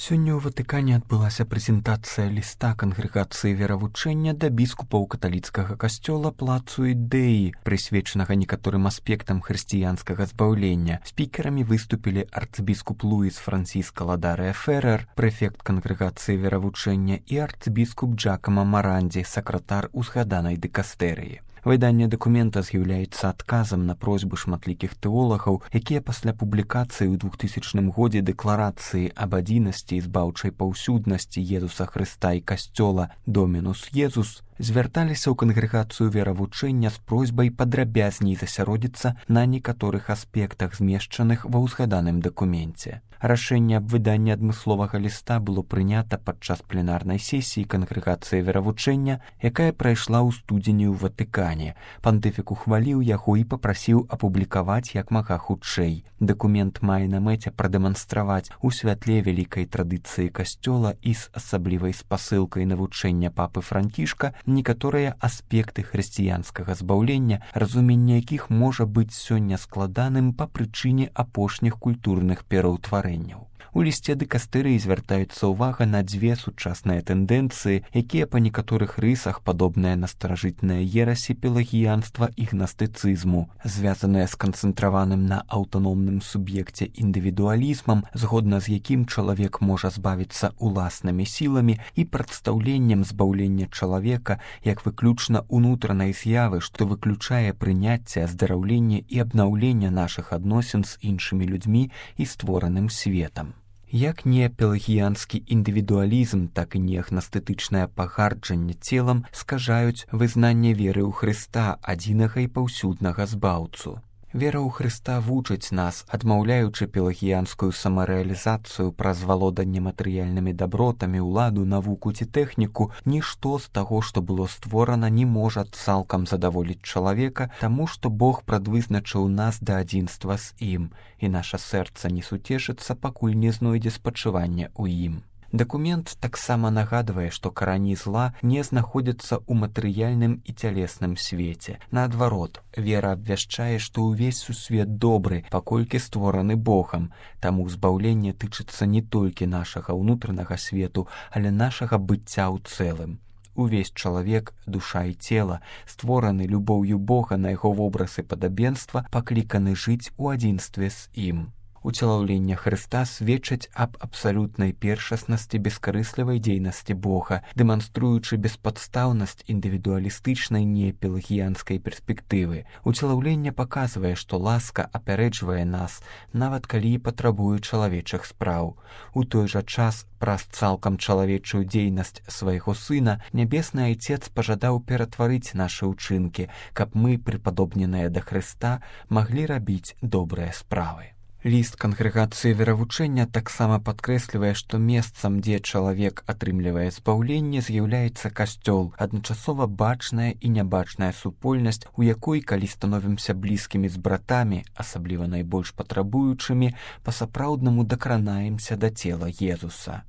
Сёння ў Ватыкане адбылася прэзентацыя ліста кангрэгацыі веравучэння да біскупаў каталіцкага касцёла Плацу Ідэі, прысвечанага некаторым аспектам хрысціянскага збаўлення. Спікерамі выступілі арцбіскуп Луіс Франсіска Ладарыя Феррер, прэфект кангрэгацыі веравучэння, і арцбіскуп Джакама Марандзі, сакратар узгаданай дыкастэрыі. Выданне дакумента з'яўляецца адказам на просьбы шматлікіх тэолагаў, якія пасля публікацыі ў 2000 годзе дэкларацыі аб адзінасці і збаўчай паўсюднасці Езуса Хрыста і касцёла «Домінус Езус» звярталіся ў кангрэгацыю веравучэння з просьбай падрабязней засяродзіцца на некаторых аспектах, змешчаных ва ўзгаданым дакуменце. Рашэнне аб выданні адмысловага ліста было прынята падчас пленарнай сесіі кангрэгацыі веравучэння, якая прайшла ў студзені ў Ватыкане. Пантыфік ухваліў яго і папрасіў апублікаваць як мага хутчэй. Дакумент мае на мэце прадэманстраваць у святле вялікай традыцыі касцёла і з асаблівай спасылкай навучэння папы Францішка некаторыя аспекты хрысціянскага збаўлення, разуменне якіх можа быць сёння складаным па прычыне апошніх культурных пераўтварэнняў. У лісце дыкастэрыі звяртаецца ўвага на дзве сучасныя тэндэнцыі, якія па некаторых рысах падобныя на старажытныя ерасі пелагіянства і гнастыцызму, звязаныя з канцэнтраваным на аўтаномным суб'екце індывідуалізмам, згодна з якім чалавек можа збавіцца уласнымі сіламі, і прадстаўленнем збаўлення чалавека як выключна ўнутранай з'явы, што выключае прыняцце, аздараўленне і абнаўленне нашых адносін з іншымі людзьмі і створаным светам. Як не пелагіянскі індывідуалізм, так і не гнастытычнае пагарджанне целам скажаюць вызнанне веры ў Хрыста, адзінага і паўсюднага збаўцу. Вера ў Хрыста вучыць нас, адмаўляючы пелагіянскую самарэалізацыю праз валоданне матэрыяльнымі дабротамі, уладу, навуку ці тэхніку, нішто з таго, што было створана, не можа цалкам задаволіць чалавека, таму што Бог прадвызначыў нас да адзінства з ім, і наша сэрца не суцешыцца, пакуль не знойдзе спачывання ў ім. Дакумент таксама нагадвае, што карані зла не знаходзяцца ў матэрыяльным і цялесным свеце. Наадварот, вера абвяшчае, што ўвесь сусвет добры, паколькі створаны Богам, таму збаўленне тычыцца не толькі нашага ўнутранага свету, але нашага быцця ў цэлым. Увесь чалавек, душа і цела, створаны любоўю Бога на яго вобраз і падабенства, пакліканы жыць у адзінстве з ім. Уцелаўленне Хрыста сведчыць аб абсалютнай першаснасці бескарыслівай дзейнасці Бога, дэманструючы беспадстаўнасць індывідуалістычнай непелагіянскай перспектывы. Уцелаўленне паказвае, што ласка апярэджвае нас, нават калі і патрабуе чалавечых спраў. У той жа час, праз цалкам чалавечую дзейнасць свайго сына, Нябесны Айцец пажадаў ператварыць нашы ўчынкі, каб мы, прыпадобненыя да Хрыста, маглі рабіць добрыя справы. Ліст кангрэгацыі веравучэння таксама падкрэслівае, што месцам, дзе чалавек атрымлівае збаўленне, з'яўляецца касцёл, адначасова бачная і нябачная супольнасць, у якой, калі становімся блізкімі з братамі, асабліва найбольш патрабуючымі, па-сапраўднаму дакранаемся да цела Езуса.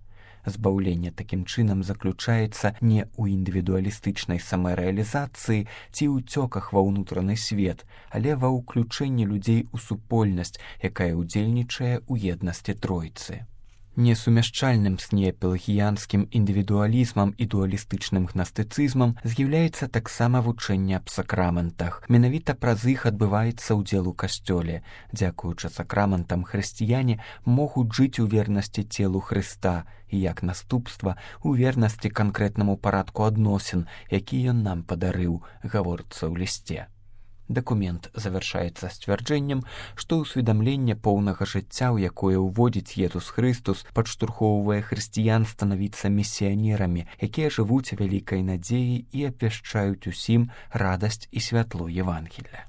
Збаўленне такім чынам заключаецца не ў індывідуалістычнай самарэалізацыі ці ўцёках ва ўнутраны свет, але ва ўключэнні людзей у супольнасць, якая ўдзельнічае ў еднасці Тройцы. Несумяшчальным з непелагіянскім індывідуалізмам і дуалістычным гнастыцызмам з'яўляецца таксама вучэнне аб сакраментах. Менавіта праз іх адбываецца ўдзел у касцёле. Дзякуючы сакраментам хрысціяне могуць жыць у вернасці целу Хрыста і, як наступства, у вернасці канкрэтнаму парадку адносін, які ён нам падарыў, гаворыцца ў лісце. Дакумент завяршаецца сцвярджэннем, што ўсведамленне поўнага жыцця, у якое ўводзіць Езус Хрыстус, падштурхоўвае хрысціян станавіцца місіянерамі, якія жывуць вялікай надзеяй і абвяшчаюць усім радасць і святло Евангелля.